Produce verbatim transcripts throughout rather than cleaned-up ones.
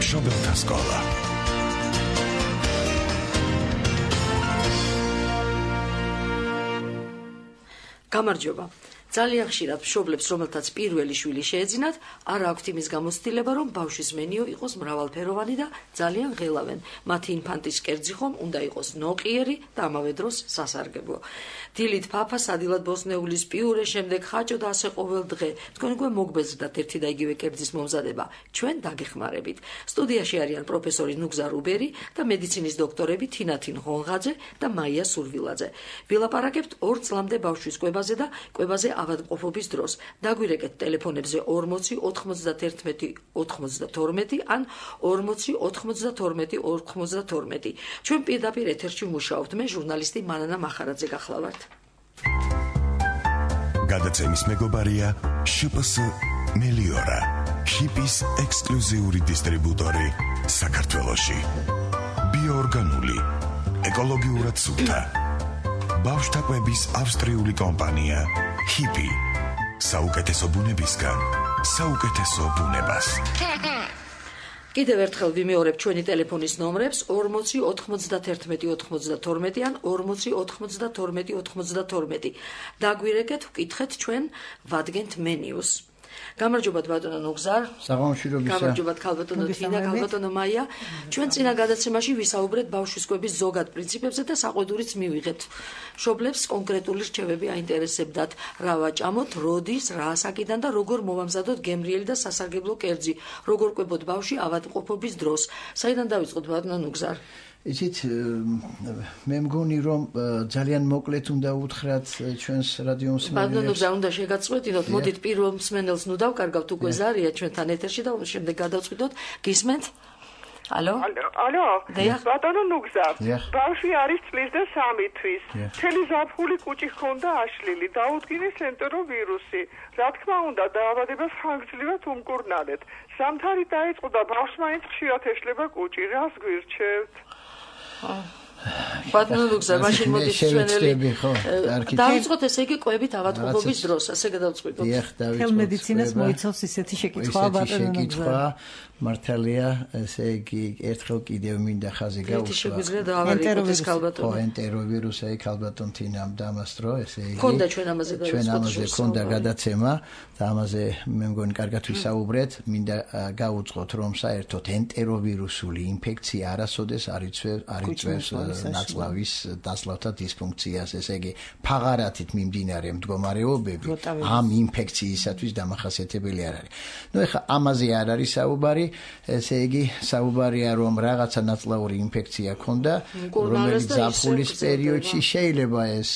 მშობელთა სკოლა. გამარჯობა. ძალიან ხშირად მშობლებს, რომელთაც პირველი შვილი შეეძინათ, არ აქვთ იმის გამოცდილება, რომ ბავშვის მენიო იყოს მრავალფეროვანი და ძალიან ღელავენ. მათი ინფანტის კერძი ხომ უნდა იყოს ნოყიერი და ამავე დროს სასარგებლო. დილით ფაფა, სადილად ბოსნეულის პიურე, შემდეგ ხაჭო და ასე ყოველ დღე. თქვენ უკვე მოგბეზრდათ ერთი და იგივე კერძის მომზადება. ჩვენ დაგეხმარებით. სტუდიაში არიან პროფესორი ნუგზა რუბერი და მედიცინის დოქტორები თინათინ ღონღაძე და მაია სურვილაძე. ვილაპარაკებთ ორ წლამდე ბავშვის კვებაზე და კვებაზე ავადმყოფობის დროს. დაგვირეკეთ ტელეფონებზე ორმოცი ოთხმოცდაერთმეტი ოცდათორმეტი ან ორმოცი ოთხმოცდათორმეტი ორმოცდათორმეტი. ჩვენ პირდაპირ ეთერში ვმუშაობთ. მე ჟურნალისტი მანანა მახარაძე გახლავართ. გადაცემის მეგობარია შპს მელიორა, ჰიპის ექსკლუზიური დისტრიბუტორი საქართველოში. ბიოორგანული, ეკოლოგიურად სუფთა. ბავშვთა კვების ავსტრიული კომპანია ჰიპი. საუკეთესო ბუნებისგან, საუკეთესო ბუნებას. კიდევ ერთხელ ვიმეორებ ჩვენი ტელეფონის ნომრებს ორმოცი ოთხმოცდაერთმეტი ოცდათორმეტი ან ორმოცი ოთხმოცდათორმეტი ოცდათორმეტი. დაგვირეკეთ, ვკითხეთ ჩვენ ვადგენთ მენიუს. გამარჯობათ ბატონო ნუგზარ. საღამოშირობისა. გამარჯობათ ქალბატონო თინა, ქალბატონო მაია. ჩვენ წინა გადაცემაში ვისაუბრეთ ბავშვის კვების ზოგად პრინციპებზე და საყვედურიც მივიღეთ. მშობლებს კონკრეტული რჩევები აინტერესებდათ, რა ვაჭამოთ, როდის, რა ასაკიდან და როგორ მოვამზადოთ გემრიელი და სასარგებლო კერძი, როგორ კვებოთ ბავშვი ავადმყოფობის დროს. საიდან დავიწყოთ ბატონო ნუგზარ? იცით, მე მგონი რომ ძალიან მოკლედ უნდა უთხრათ ჩვენს რადიო მსმენელებს. ბატონო ნუგზარ, უნდა შეგაწყვეტინოთ, მოდით პირველ მსმენელს ნუ დავკარგავთ, უკვე ზარია ჩვენთან ეთერში და შემდეგ გადავწყვიტოთ. გისმენთ? ალო? ალო? ბატონო ნუგზარ, ბავშვი არის წლის და სამი თვის. მთელი ზაფხული კუჭი ჰქონდა აშლილი, დაუდგინეს ენტეროვირუსი. რა თქმა უნდა, დაავადება ხანგრძლივად უმკურნალეთ. ზამთარი დაიწყო და ბავშვს მაინც ხშირად ეშლება კუჭი. რას გვირჩევთ? ბატონო ნუგზარ, მაშინ მოდის ჩვენელი. დავიწყოთ ესე იგი კვებით ავადმყოფობის დროს, ასე გადავწყვიტოთ. თელ მედიცინას მოიცავს ისეთი შეკითხვა ბატონო ნუგზარ. მართალია, ესე იგი ერთხელ კიდევ მინდა ხაზი გაუსვა. შეგვიძლია დაავადდეს ქალბატონო. ხო, ენტეროვირუსი ქალბატონ თინამ დამასტრო, ესე იგი. ქონდა ჩვენ ამაზე გადაცემა. ჩვენ ამაზე ქონდა გადაცემა და ამაზე მე მგონი კარგად ვისაუბრეთ. მინდა გაუწყოთ, რომ საერთოდ ენტეროვირუსული ინფექცია არასოდეს არ იწვევს ნაწლავის დასლავთა დისფუნქციას, ესე იგი ფაღარათით მიმდინარე მდგომარეობები ამ ინფექციისათვის დამახასიათებელი არ არის. ნუ ეხლა ამაზე არ არის საუბარი, ესე იგი საუბარია რომ რაღაცა ნაწლავური ინფექცია ქონდა, რომელიც ზაფხულის პერიოდში შეიძლება ეს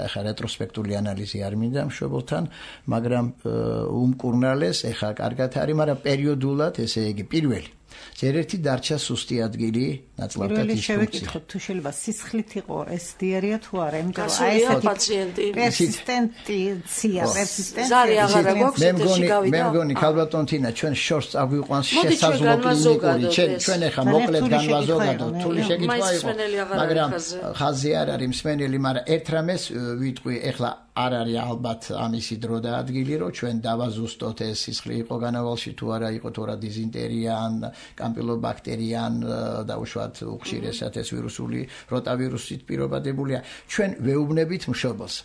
ეხლა რეტროსპექტული ანალიზი არ მინდა მშობელთან, მაგრამ უმკურნალეს, ეხლა კარგად არის, მაგრამ პერიოდულად, ესე იგი პირველი ჯერ ერთი დარჩა სუსტი ადგილი ნაწლავთა დისფუნქცია. თუ შეიძლება სისხლით იყო ეს დიარეა თუ არა, იმიტომ რომ აი ეს პაციენტი პერსისტენტია, პერსისტენტია. ზარი აღარ აქვს ეთერში გავიდა. მე მგონი ქალბატონ თინა ჩვენ შორს წაგვიყვანს შესაძლო კლინიკური. ჩვენ ახლა მოკლედ განვაზოგადოთ, თული შეკითხვა იყო, მაგრამ ხაზი არ არის მსმენელი, მაგრამ ერთ რამეს ვიტყვი, ახლა არ არის ალბათ ამისი დრო და ადგილი, რომ ჩვენ დავაზუსტოთ ეს სისხლი იყო განავალში თუ არა იყო თორა დიზინტერია ან კამპილობაქტერია ან დაუშვათ უხშირესად ეს ვირუსული როტავირუსით პირობადებულია. ჩვენ ვეუბნებით მშობელს,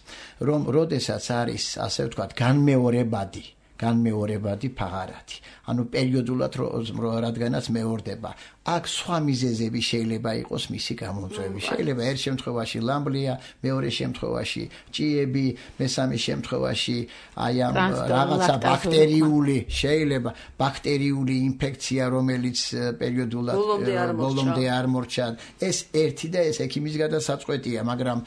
რომ როდესაც არის, ასე ვთქვათ, განმეორებადი განმეორებადი ფაღარათი. ანუ პერიოდულად რადგანაც მეორდება. აქ სხვა მიზეზები შეიძლება იყოს მისი გამომწვევი. შეიძლება ერთ შემთხვევაში ლამბლია, მეორე შემთხვევაში ჭიები, მესამე შემთხვევაში აი ამ რაღაცა ბაქტერიული, შეიძლება ბაქტერიული ინფექცია, რომელიც პერიოდულად ბოლომდე არ მორჩა. ეს ერთი და ეს ექიმის გადასაწყვეტია, მაგრამ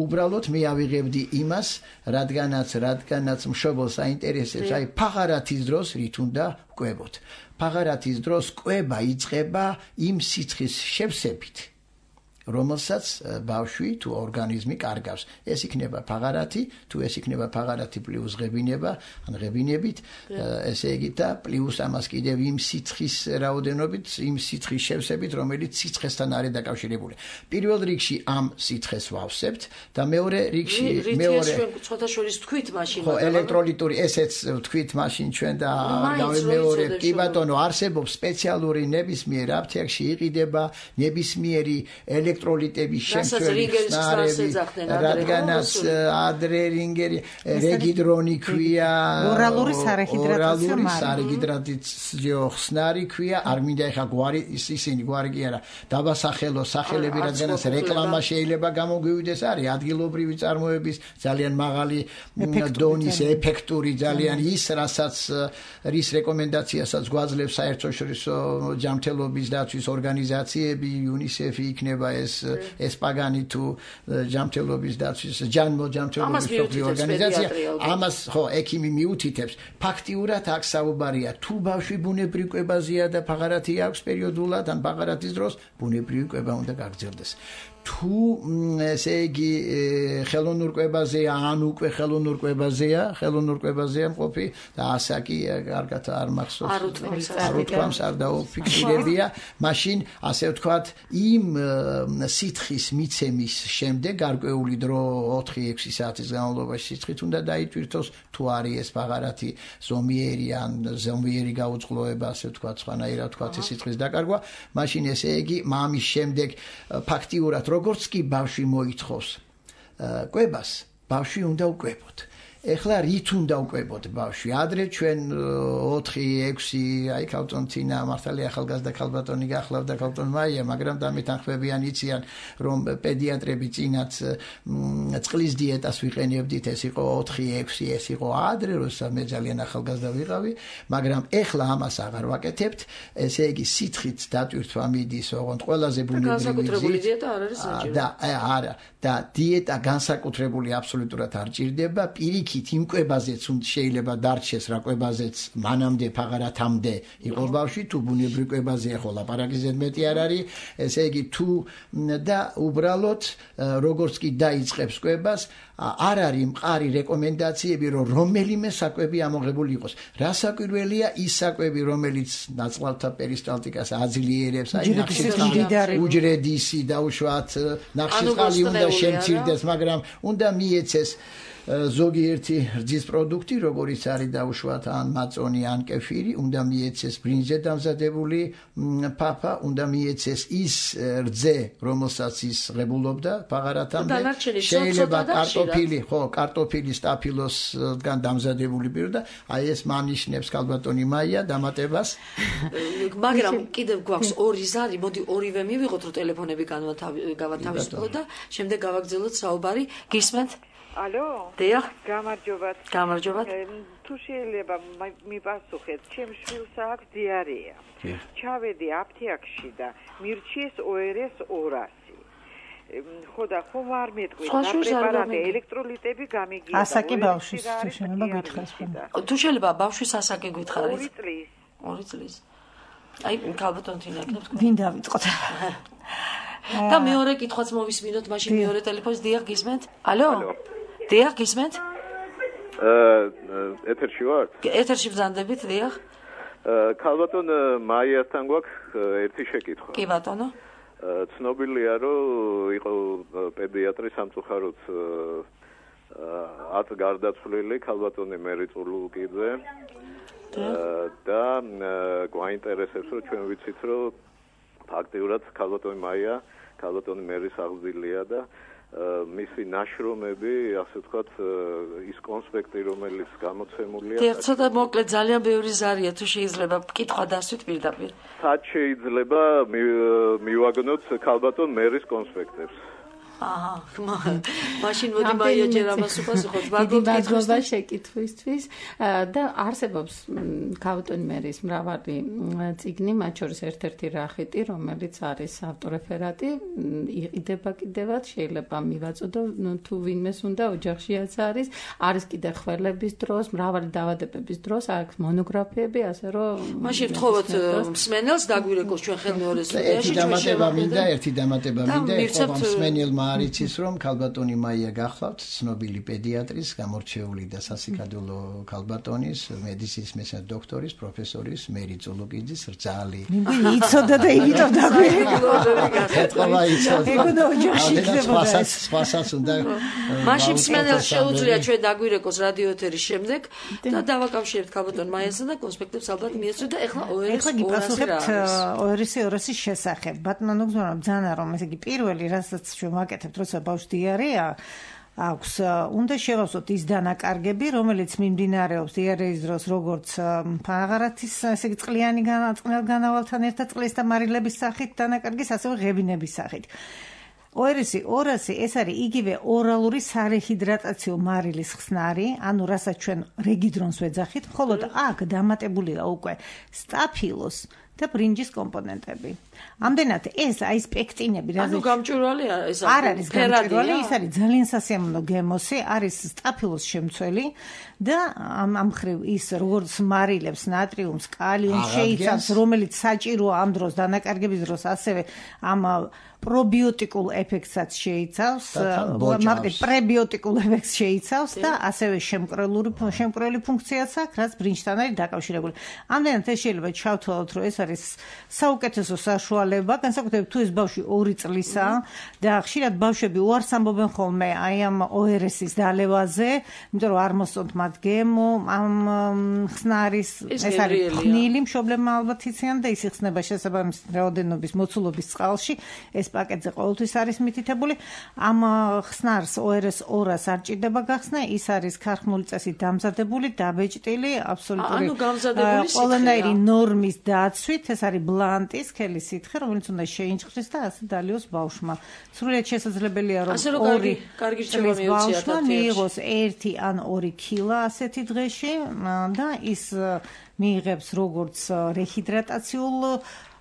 უბრალოდ მე ავიღებდი იმას, რადგანაც რადგანაც მშობელს აინტერესებს, აი ფაღარათის დროს რით უნდა კვებოთ. ფაღარათის დროს კვება იწყება იმ სიცხის შევსებით, რომელსაც ბავშვი თუ ორგანიზმი კარგავს. ეს იქნება ფაღარათი, თუ ეს იქნება ფაღარათი პლუს ღებინება, ან ღებინებით, ესე იგი და პლუს ამას კიდევ იმ სიცხის რაოდენობით, იმ სიცხის შევსებით, რომელიც სიცხესთან არის დაკავშირებული. პირველ რიგში ამ სიცხეს ვავსებთ და მეორე რიგში მეორე ცოტა შორის თქვით მაშინ ხო ელექტროლიტური ესეც თქვით მაშინ ჩვენ და მეორე კი ბატონო არსებობს სპეციალური ნებისმიერ აფთიაქში იყიდება ნებისმიერი ელექტროლიტების შემცველი ხსნარები რადგანაც ადრე რინგერი რეგიდრონი ქვია ორალური სარეჰიდრატაციო ორალური სარეჰიდრატაციო ხსნარი ქვია არ მინდა ეხა გვარი ისინი გვარი კი არა დაბასახელო სახელები რადგანაც რეკლამა შეიძლება გამოგვივიდეს არის ადგილობრივი წარმოების ძალიან მაღალი დონის ეფექტური ძალიან ის რასაც რის რეკომენდაციასაც გვაძლევს საერთაშორისო ჯანმრთელობის დაცვის ორგანიზაციები იუნისეფი იქნება ეს ეს პაგანი თუ ჯანმრთელობის დაცვის ჯანმო ჯანმრთელობის ორგანიზაცია ამას ხო ექიმი მიუთითებს ფაქტიურად აქ საუბარია თუ ბავშვი ბუნებრივ კვებაზეა და ფაღარათი აქვს პერიოდულად ან ფაღარათის დროს ბუნებრივი კვება უნდა გაგრძელდეს თუ ესე იგი ხელოვნურ კვებაზეა ან უკვე ხელოვნურ კვებაზეა ხელოვნურ კვებაზეა მყოფი და ასაკი კარგად არ მახსოვს არ უთქვამს არ დაუფიქსირებია მაშინ ასე ვთქვათ იმ სიცხის მიცემის შემდეგ გარკვეული დრო ოთხი ექვსი საათის განმავლობაში სიცხით უნდა დაიტვირთოს თუ არის ეს ფაღარათი ზომიერი ან ზომიერი გაუწყლოება ასე ვთქვათ სხვანაირად ვთქვათ ეს სიცხის დაკარგვა მაშინ ესე იგი მამის შემდეგ ფაქტიურად როგორც კი ბავშვი მოითხოვს კვებას, ბავშვი უნდა უკვებოთ. ეხლა რით უნდა უკვებოთ ბავშვი? ადრე ჩვენ ოთხი ექვსი აი ქალბატონინა მართალი ახალგაზრდა ქალბატონი გახლავდა ქალბატონ მაია, მაგრამ დამეთანხმებიან იციან რომ პედიატრები წინაც წყლის დიეტას ვიყენებდით, ეს იყო ოთხი ექვსი, ეს იყო ადრე, როცა მე ძალიან ახალგაზრდა ვიყავი, მაგრამ ეხლა ამას აღარ ვაკეთებთ, ესე იგი სიცხით დატვირთვა მიდის, ოღონდ ყველაზე ბუნებრივი დიეტა არ არის საჭირო. და არა, და დიეტა განსაკუთრებული აბსოლუტურად არ ჭირდება, პირიქით იმ კვებაზეც შეიძლება დარჩეს რა კვებაზეც მანამდე ფაღარათამდე იყო ბავშვი თუ ბუნებრივ კვებაზეა ხო ლაპარაკი ზედმეტი არ არის ესე იგი თუ და უბრალოდ როგორც კი დაიწყებს კვებას არ არის მყარი რეკომენდაციები რომ რომელიმე საკვები ამოღებული იყოს რა საკვირველია ის საკვები რომელიც ნაწლავთა პერისტალტიკას აძლიერებს აი ნახშირწყალი უჯრედისი დაუშვათ ნახშირწყალი უნდა შემცირდეს მაგრამ უნდა მიეცეს ზოგიერთი რძის პროდუქტი, როგორიც არის დაუშვათ ან მაწონი, ან კეფირი, უნდა მიეცეს ბრინჯზე დამზადებული ფაფა, უნდა მიეცეს ის რძე, რომელსაც ის ღებულობდა ფაღარათამდე. შეიძლება კარტოფილი, ხო, კარტოფილი სტაფილოსგან დამზადებული პირდა, აი ეს მანიშნებს ქალბატონი მაია დამატებას. მაგრამ კიდევ გვაქვს ორი ზარი, მოდი ორივე მივიღოთ, რომ ტელეფონები გავათავისუფლოთ და შემდეგ გავაგრძელოთ საუბარი. გისმენთ? ალო? დიახ. გამარჯობათ. გამარჯობათ. თუ შეიძლება მიპასუხეთ, ჩემ შვილს აქვს დიარეა. ჩავედი აფთიაქში და მირჩიეს O R S ორასი. ხო და ხომ არ მეტყვი და პრეპარატი ელექტროლიტები გამიგია. ასაკი ბავშვის თუ შეიძლება გითხარს. თუ შეიძლება ბავშვის ასაკი გითხარით. ორი წლის. ორი წლის. აი ქალბატონთინა ეკნებს. ვინ დავიწყოთ? და მეორე კითხვაც მოვისმინოთ, მაშინ მეორე ტელეფონს დიახ გისმენთ? ალო? დიახ გისმენთ? აა ეთერში ვარ? ეთერში ბრძანდებით, დიახ. აა ქალბატონ მაიასთან გვაქვს ერთი შეკითხვა. კი ბატონო. აა ცნობილია რომ იყო პედიატრი სამწუხაროდ ათ გარდაცვლილი ქალბატონი მერი წულუკიძე. და გვაინტერესებს რომ ჩვენ ვიცით რომ ფაქტიურად ქალბატონი მაია ქალბატონი მერის აღზრდილია და მისი ნაშრომები, ასე ვთქვათ, ის კონსპექტი, რომელიც გამოცემულია. დიახ, ცოტა მოკლედ ძალიან ბევრი ზარია, თუ შეიძლება კითხვა დასვით პირდაპირ. სად შეიძლება მივაგნოთ ქალბატონ მერის კონსპექტებს? აჰა, მაშინ მოდი მაია ჯერ ამას უპასუხოთ. მადლობა შეკითხვისთვის და არსებობს გავტონი მერის მრავალი წიგნი, მათ შორის ერთ-ერთი რახიტი, რომელიც არის ავტორეფერატი, იყიდება კიდევაც, შეიძლება მივაწოდო, თუ ვინმეს უნდა ოჯახშიაც არის, არის კიდე ხველების დროს, მრავალი დაავადებების დროს, აქვს მონოგრაფიები, ასე რომ მაშინ ვთხოვოთ მსმენელს დაგვირეკოს ჩვენ ხელმეორე სტუდიაში ჩვენ შევამინდა, ერთი დამატება მინდა, ეხლა მსმენელმა არ იცის რომ ქალბატონი მაია გახლავთ ცნობილი პედიატრის, გამორჩეული და სასიკადულო ქალბატონის, მედიცინის მეცნიერების დოქტორის, პროფესორის მერი წულუკიძის რძალი. მინდა იცოდა და იგითო დაგვირეკო. ეთქვა იცოდა. ეგონა ოჯახში იქნებოდა. სხვასაც უნდა მაშინ მსმენელს შეუძლია ჩვენ დაგვირეკოს რადიო ეთერის შემდეგ და დავაკავშირებთ ქალბატონ მაიასთან და კონსპექტებს ალბათ მიეცოთ და ეხლა ეხლა გიპასუხებთ ოერესი ორასის შესახებ. ბატონო გზურა ბძანა რომ ესე იგი პირველი რასაც ჩვენ ვაკეთებთ როცა ბავშვს დიარეა აქვს უნდა შევავსოთ ის დანაკარგები რომელიც მიმდინარეობს დიარეის დროს როგორც ფაღარათის ესე იგი წყლიანი განავალთან ერთად წყლის და მარილების სახით დანაკარგის ასევე ღებინების სახით ოერესი ორასი ეს არის იგივე ორალური სარეჰიდრატაციო მარილის ხსნარი, ანუ რასაც ჩვენ რეგიდრონს ვეძახით, მხოლოდ აქ დამატებულია უკვე სტაფილოს და ბრინჯის კომპონენტები. ამდენად ეს აი სპექტინები, რა ანუ გამჭვირვალეა ეს არ არის გამჭვირვალე, ის არის ძალიან სასიამოვნო გემოსი, არის სტაფილოს შემცველი და ამ ამ ხრივ ის როგორც მარილებს, ნატრიუმს, კალიუმს შეიცავს, რომელიც საჭიროა ამ დროს დანაკარგების დროს, ასევე ამ პრობიოტიკულ ეფექტსაც შეიცავს, მაგალითად პრებიოტიკულ ეფექტს შეიცავს და ასევე შემკრელური შემკრელი ფუნქციაც აქვს, რაც ბრინჯთან არის დაკავშირებული. ამდენად ეს შეიძლება ჩავთვალოთ, რომ ეს არის საუკეთესო საშუალება, განსაკუთრებით თუ ეს ბავშვი ორი წლისაა და ხშირად ბავშვები უარს ამბობენ ხოლმე აი ამ ოერესის დალევაზე, იმიტომ რომ არ მოსწონთ მათ გემო, ამ ხსნარის ეს არის ხნილი მშობლებმა ალბათ იციან და ის იხსნება შესაბამისი რაოდენობის მოცულობის წყალში, ეს პაკეტზე ყოველთვის არის მითითებული. ამ ხსნარს ოერეს ორას არ ჭირდება გახსნა, ის არის ქარხნული წესით დამზადებული, დაბეჭდილი, აბსოლუტური ყველანაირი ნორმის დაცვით, ეს არის ბლანტის სქელი სითხე, რომელიც უნდა შეინჭყრეს და ასე დალიოს ბავშვმა. სრულიად შესაძლებელია რომ ორი კარგი რჩევა მიუწიათ მიიღოს ერთი ან ორი კილა ასეთი დღეში და ის მიიღებს როგორც რეჰიდრატაციულ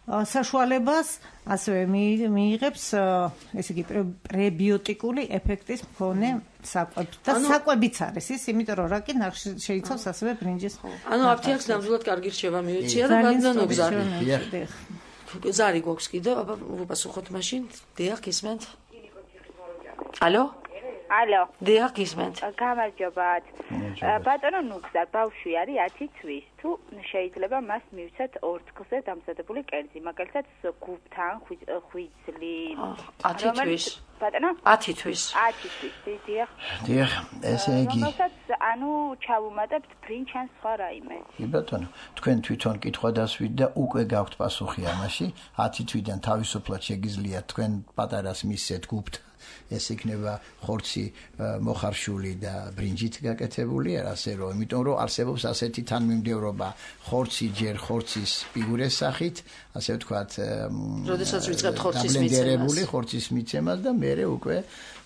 საშუალებას, ასევე მიიღებს ესე იგი პრებიოტიკული ეფექტის მქონე საკვებს და საკვებიც არის ის, იმიტომ რომ რაკი შეიცავს ასევე ბრინჯის. ანუ აფთიაქს ნამდვილად კარგი რჩევა მიუწია და ბატონო ზარი. ზარი გვაქვს კიდევ, აბა ვუპასუხოთ მაშინ. დიახ, გისმენთ? ალო? ალო. დიახ, გისმენთ. გამარჯობათ. ბატონო ნუგზარ, ბავშვი არის ათი თვის. თუ შეიძლება მას მივცეთ ორთქლზე დამზადებული კერძი, მაგალითად გუბთან, ხვიძლი. ათი თვის. ბატონო? ათი თვის. ათი თვის, დიახ. დიახ, ესე იგი. რომელსაც ანუ ჩავუმატებთ ბრინჯს ან სხვა რაიმე. კი ბატონო, თქვენ თვითონ კითხვა დასვით და უკვე გაქვთ პასუხი ამაში. ათი თვიდან თავისუფლად შეგიძლიათ თქვენ პატარას მისცეთ გუბთან. ეს იქნება ხორცი მოხარშული და ბრინჯით გაკეთებული, ასე რომ, იმიტომ რომ არსებობს ასეთი თანმიმდევრობა ხორცი ჯერ ხორცის ფიგურეს სახით, ასე ვთქვათ, როდესაც ვიწყებთ ხორცის მიცემას, ხორცის მიცემას და მერე უკვე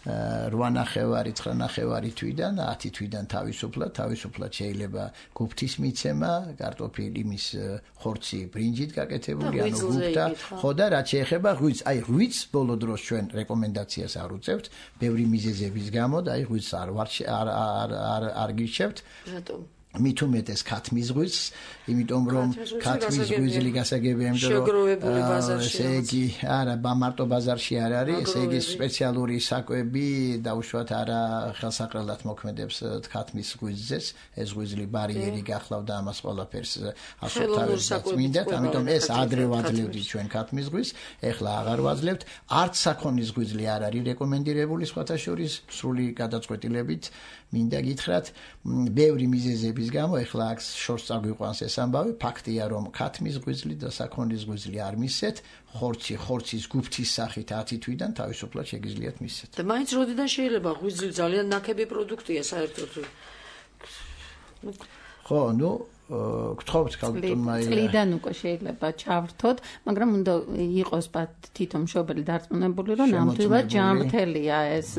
რვა ნახევარი, ცხრა ნახევარი თვიდან, ათი თვიდან თავისუფლად, თავისუფლად შეიძლება გუფთის მიცემა, კარტოფილი მის ხორცი ბრინჯით გაკეთებული, ანუ გუფთა, ხო და რაც შეეხება ღვიძლს, აი ღვიძლს ბოლო დროს ჩვენ რეკომენდაციას არ უწევთ, ბევრი მიზეზების გამო და აი ღვიძლს არ არ არ არ გირჩევთ. რატომ? მით უმეტეს ქათმის ღვიძლს, იმიტომ რომ ქათმის ღვიძლი გასაგებია, იმიტომ შეგროვებული ბაზარში. ესე იგი, არა, მარტო ბაზარში არ არის, ესე იგი სპეციალური საკვები დაუშვათ არა ხელსაყრელად მოქმედებს ქათმის ღვიძლზეც, ეს ღვიძლი ბარიერი გახლავდა ამას ყველაფერს ასოთ თავისად მინდათ, ამიტომ ეს ადრე ვაძლევდით ჩვენ ქათმის ღვიძლს, ეხლა აღარ ვაძლევთ, არც საქონლის ღვიძლი არ არის რეკომენდირებული სხვათა შორის სრული გადაწყვეტილებით. მინდა გითხრათ, ბევრი მიზეზების გამო ეხლა აქ შორს წაგვიყვანს ეს ამბავი, ფაქტია რომ ქათმის ღვიძლი და საქონლის ღვიძლი არ მისცეთ, ხორცი, ხორცის გუფთის სახით ათი თვიდან თავისუფლად შეგიძლიათ მისცეთ. და მაინც როდიდან შეიძლება ღვიძლი ძალიან ნაკლები პროდუქტია საერთოდ. ხო, ნუ გთხოვთ ქალბატონმა წლიდან უკვე შეიძლება ჩავრთოთ, მაგრამ უნდა იყოს თვითონ მშობელი დარწმუნებული, რომ ნამდვილად ჯანმრთელია ეს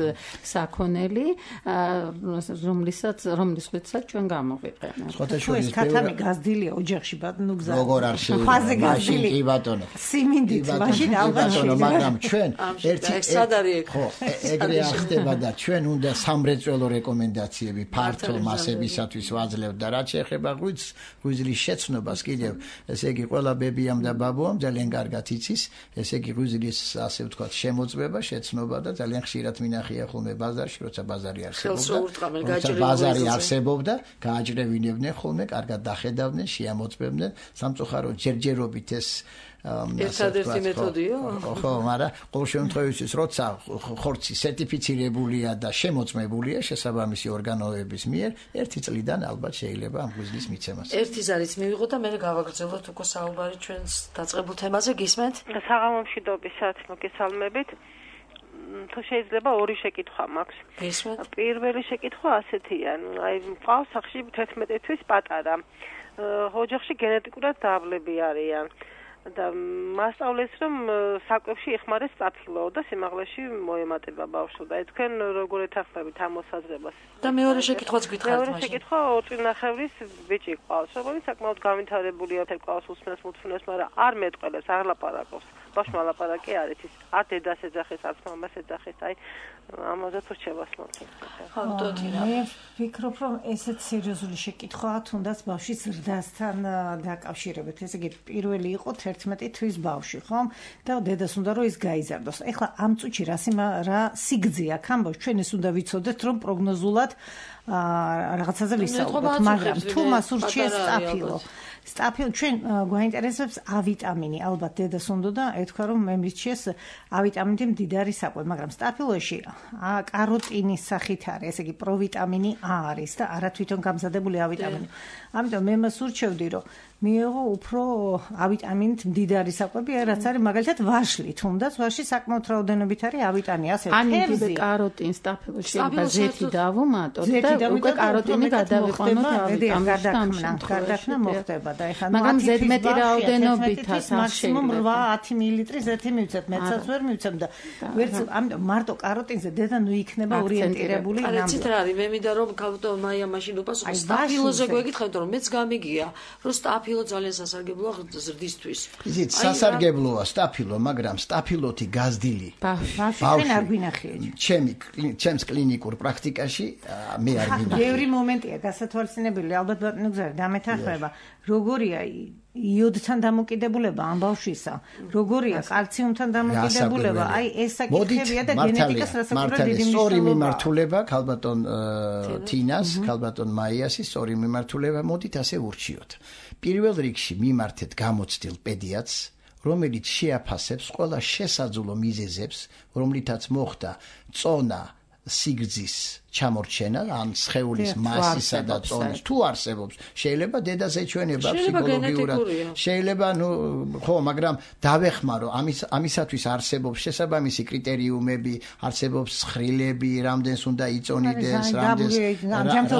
საქონელი, რომლისაც რომლისთვისაც ჩვენ გამოვიყენებთ. ხოთაშორის ქათამი გაზდილია ოჯახში, ბატონო გზა. როგორ არ შეიძლება? მაშინ კი ბატონო. სიმინდით, მაშინ ალბათ ბატონო, მაგრამ ჩვენ ერთი სად არის? ხო, ეგრე ახდება და ჩვენ უნდა სამრეწველო რეკომენდაციები ფართო მასებისათვის ვაძლევთ და რაც შეეხება ღვიძლს, ღვიძლის შეცნობას კიდევ, ესე იგი ყველა ბებიამ და ბაბუამ ძალიან კარგად იცის, ესე იგი ღვიძლის ასე ვთქვათ შემოწმება, შეცნობა და ძალიან ხშირად მინახია ხოლმე ბაზარში, როცა ბაზარი არსებობდა. როცა ბაზარი არსებობდა, გააჭრევინებდნენ ხოლმე, კარგად დახედავდნენ, შეამოწმებდნენ, სამწუხაროდ ჯერჯერობით ეს ერთადერთი მეთოდია? ხო, მაგრამ ყოველ შემთხვევაში, როცა ხორცი სერტიფიცირებულია და შემოწმებულია შესაბამისი ორგანოების მიერ, ერთი წლიდან ალბათ შეიძლება ამ ღვიძლის მიცემას. ერთი ზარიც მივიღოთ და მე გავაგრძელოთ უკვე საუბარი ჩვენს დაწყებულ თემაზე, გისმენთ? საღამომშვიდობისათ მოგესალმებით. თუ შეიძლება ორი შეკითხვა მაქვს. გისმენთ? პირველი შეკითხვა ასეთია, აი მყავს სახში თერთმეტი თვის პატარა. ოჯახში გენეტიკურად დაბლები არიან. და მასწავლეს რომ საკვებში იხმარეს სტაფილო და სიმაღლეში მოემატება ბავშვს და თქვენ როგორ ეთანხმებით ამ მოსაზრებას? და მეორე შეკითხვაც გითხარით მაშინ. მეორე შეკითხვა ოწინახევრის ბიჭი ყავს, რომელიც საკმაოდ განვითარებულია, თეკავს უსმენს მუთფუნებს, მაგრამ არ მეტყველებს, არ ლაპარაკობს. ბავშვმა ლაპარაკი არ იცის, არ დედას ეძახის, არ მამას ეძახის, აი ამაზე თუ რჩევას მოწევს. ხო, დოდინა. მე ვფიქრობ, რომ ესეც სერიოზული შეკითხვაა, თუნდაც ბავშვის ზრდასთან დაკავშირებით. ესე იგი, პირველი იყო თერთმეტი თვის ბავშვი, ხომ? და დედას უნდა რომ ის გაიზარდოს. ეხლა ამ წუთში რა რა სიგრძე აქვს ამბავს, ჩვენ ეს უნდა ვიცოდეთ, რომ პროგნოზულად რაღაცაზე ვისაუბროთ, მაგრამ თუ მას ურჩიეს სტაფილო სტაფილო ჩვენ გვაინტერესებს A ვიტამინი, ალბათ დედას უნდა და ეთქვა რომ მე მირჩიეს A ვიტამინი მდიდარი საკვები, მაგრამ სტაფილოში კაროტინის სახით არის, ესე იგი პროვიტამინი A არის და არა თვითონ გამზადებული A ვიტამინი. ამიტომ მე მას ურჩევდი რომ მიიღო უფრო A ვიტამინით მდიდარი საკვები, რაც არის მაგალითად ვაშლი, თუნდაც ვაშლი საკმაოდ რაოდენობით არის A ვიტამინი, ასე თერზი კაროტინს სტაფილოში შეიძლება ზეთი დავუმატოთ და უკვე კაროტინი გადავიყვანოთ A ვიტამინს. გარდაქმნა მოხდება და ეხლა მაგრამ ზედმეტი რაოდენობითაც მაქსიმუმ ორი ათი მილილიტრი ზეთი მივცეთ, მეცაც ვერ მივცემ და ვერც ამიტომ მარტო კაროტინზე დედა ნუ იქნება ორიენტირებული ნამდვილად. არა, ცით რა არის, მე მინდა რომ ქალბატონ მაია მაშინ უპასუხოს სტაფილოზე გვეკითხეთ, რომ მეც გამიგია, რომ სტაფილო ძალიან სასარგებლოა ზრდისთვის. იცით, სასარგებლოა სტაფილო, მაგრამ სტაფილოთი გაზდილი ბავშვი არ გვინახია. ჩემი ჩემს კლინიკურ პრაქტიკაში მე არ გვინახია. ბევრი მომენტია გასათვალისწინებელი, ალბათ ბატონო გზა დამეთანხმება. როგორია იოდთან დამოკიდებულება ამ ბავშვისა, როგორია კალციუმთან დამოკიდებულება, აი ეს საკითხებია და გენეტიკას რასაკვირველია დიდი მნიშვნელობა. სწორი მიმართულება ქალბატონ თინას, ქალბატონ მაიასის სწორი მიმართულება, მოდით ასე ურჩიოთ. პირველ რიგში მიმართეთ გამოცდილ პედიატრს, რომელიც შეაფასებს ყველა შესაძლო მიზეზებს, რომლითაც მოხდა წონა, სიგრძის ჩამორჩენა, ან სხეულის მასისა და წონის თუ არსებობს, შეიძლება დედას ეჩვენება ფსიქოლოგიურად. შეიძლება, ნუ, ხო, მაგრამ დავეხმარო, ამის ამისათვის არსებობს შესაბამისი კრიტერიუმები, არსებობს ცხრილები, რამდენს უნდა იწონიდეს, რამდენს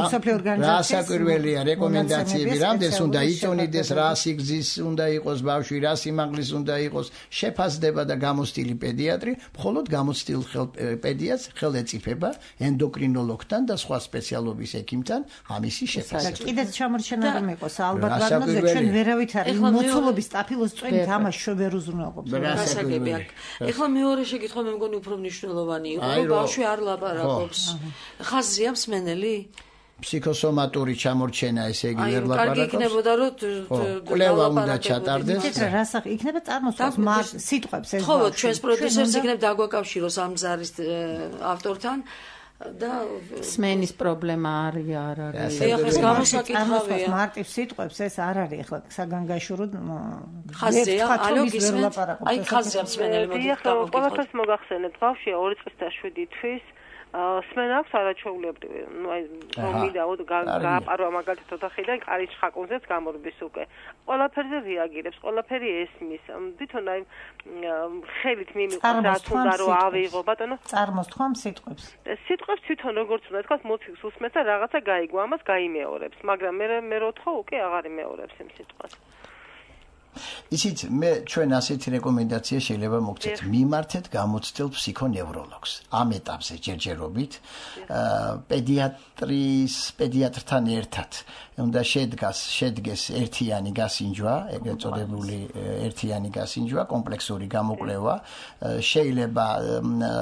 რა საკვირველია რეკომენდაციები, რამდენს უნდა იწონიდეს, რა სიგრძის უნდა იყოს ბავშვი, რა სიმაღლის უნდა იყოს, შეფასდება და გამოცდილი პედიატრი, მხოლოდ გამოცდილ პედიატრს ხელეწიფება ენდოკრინოლოგთან და სხვა სპეციალობის ექიმთან ამისი შეფასება. კიდეც ჩამორჩენა რომ იყოს, ალბათ ბატონო, ჩვენ ვერავით არის მოცულობის სტაფილოს წვენით ამას შევერ უზრუნველყოფს. გასაგები აქვს. ეხლა მეორე შეკითხვა მე მგონი უფრო მნიშვნელოვანი იყო, რომ ბავშვი არ ლაპარაკობს. ხაზია მსმენელი? ფსიქოსომატური ჩამორჩენა, ესე იგი ვერ ლაპარაკობს. კარგი იქნებოდა რომ კვლევა უნდა ჩატარდეს. რა სახი იქნება წარმოსწორს სიტყვებს ეს. ხო, ჩვენს პროდიუსერს იქნებ დაგვაკავშიროს ამ ზარის ავტორთან. და სმენის პრობლემა არის არ არის. ეხლა ეს გამოსაკითხავია. მარტივ სიტყვებს ეს არ არის ეხლა საგანგაშურო ხაზია, ალო გისმენთ? აი ხაზია მსმენელი მოდი დავაკითხოთ. ყველაფერს მოგახსენებთ, ბავშვია ორი წლის და შვიდი თვის, სმენა აქვს არაჩვეულებრივი. ნუ აი მომიდა გააპარვა მაგალითად ოთახიდან კარის ხაკუნზეც გამორბის უკვე. ყველაფერზე რეაგირებს, ყველაფერი ესმის. თვითონ აი ხელით მიმიყავს რაც უნდა რომ ავიღო ბატონო. წარმოსთქვამ სიტყვებს. სიტყვებს თვითონ როგორც უნდა თქვა მოციქს უსმენს და რაღაცა გაიგო, ამას გაიმეორებს, მაგრამ მე მე როთხო უკვე აღარ იმეორებს იმ სიტყვას. ისიც მე ჩვენ ასეთი რეკომენდაცია შეიძლება მოგცეთ მიმართეთ გამოცდილ ფსიქონევროლოგს ამ ეტაპზე ჯერჯერობით პედიატრის პედიატრთან ერთად უნდა შედგას შედგეს ერთიანი გასინჯვა ეგრეთ წოდებული ერთიანი გასინჯვა კომპლექსური გამოკვლევა შეიძლება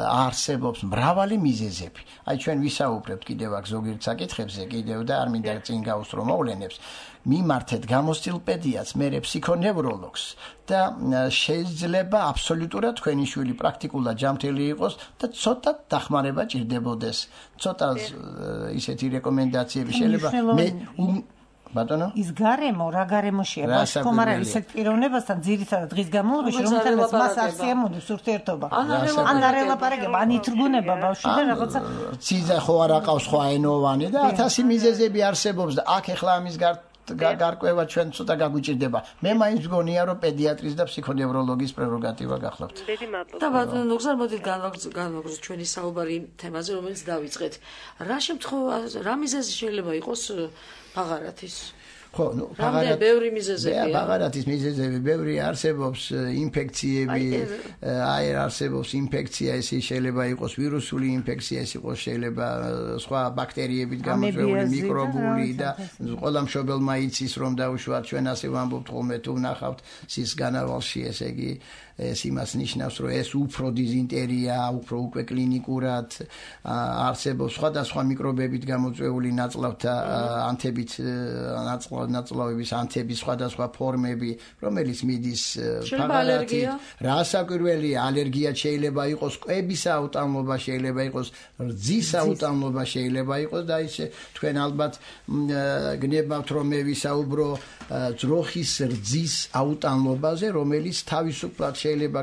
არსებობს მრავალი მიზეზები აი ჩვენ ვისაუბრებთ კიდევ აქ ზოგიერთ საკითხებზე კიდევ და არ მინდა წინ გავუსწრო მოვლენებს მიმართეთ გამოცდილ პედიატრს, მერე ფსიქონევროლოგს და შეიძლება აბსოლუტურად თქვენი შვილი პრაქტიკულად ჯანმრთელი იყოს და ცოტა დახმარება ჭირდებოდეს. ცოტა ისეთი რეკომენდაციები შეიძლება მე ბატონო ის გარემო რა გარემოშია ბავშვი არა ისეთ პიროვნებასთან ძირითადად დღის განმავლობაში რომელთანაც მას არ სიამოვნებს ურთიერთობა ან არ ელაპარაკება ან ითრგუნება ბავშვი და რაღაცა ციზა ხო არ აყავს სხვა ენოვანი და ათასი მიზეზები არსებობს და აქ ახლა ამის გარ გარკვევა ჩვენ ცოტა გაგვიჭირდება. მე მაინც მგონია რომ პედიატრის და ფსიქონევროლოგის პრეროგატივა გახლავთ. და ბატონო ნუგზარ მოდით განვაგრძელოთ ჩვენი საუბარი თემაზე რომელიც დავიწყეთ. რა შემთხვევაში რა მიზეზი შეიძლება იყოს ბაღარათის? ხო, ნუ ბაღარათი ბევრი მიზეზებია. ბაღარათის მიზეზები ბევრი არსებობს, ინფექციები, აი არსებობს ინფექცია, ეს შეიძლება იყოს ვირუსული ინფექცია, ეს იყოს შეიძლება სხვა ბაქტერიებით გამოწვეული მიკრობული და ყველა მშობელმა იცის რომ დაუშვათ ჩვენ ასე ვამბობთ ხოლმე თუ ვნახავთ სის განავალში ესე იგი ეს იმას ნიშნავს რომ ეს უფრო დიზინტერია, უფრო უკვე კლინიკურად არსებობს სხვადასხვა მიკრობებით გამოწვეული ნაწლავთა ანთებით ნაწლავების ანთების სხვადასხვა ფორმები, რომელიც მიდის ბაღარათით. რასაკვირველია, ალერგია შეიძლება იყოს, კვების აუტანლობა შეიძლება იყოს, რძის აუტანლობა შეიძლება იყოს და ისე თქვენ ალბათ გნებავთ რომ მე ვისაუბრო ძროხის რძის აუტანლობაზე, რომელიც თავისუფლად შეიძლება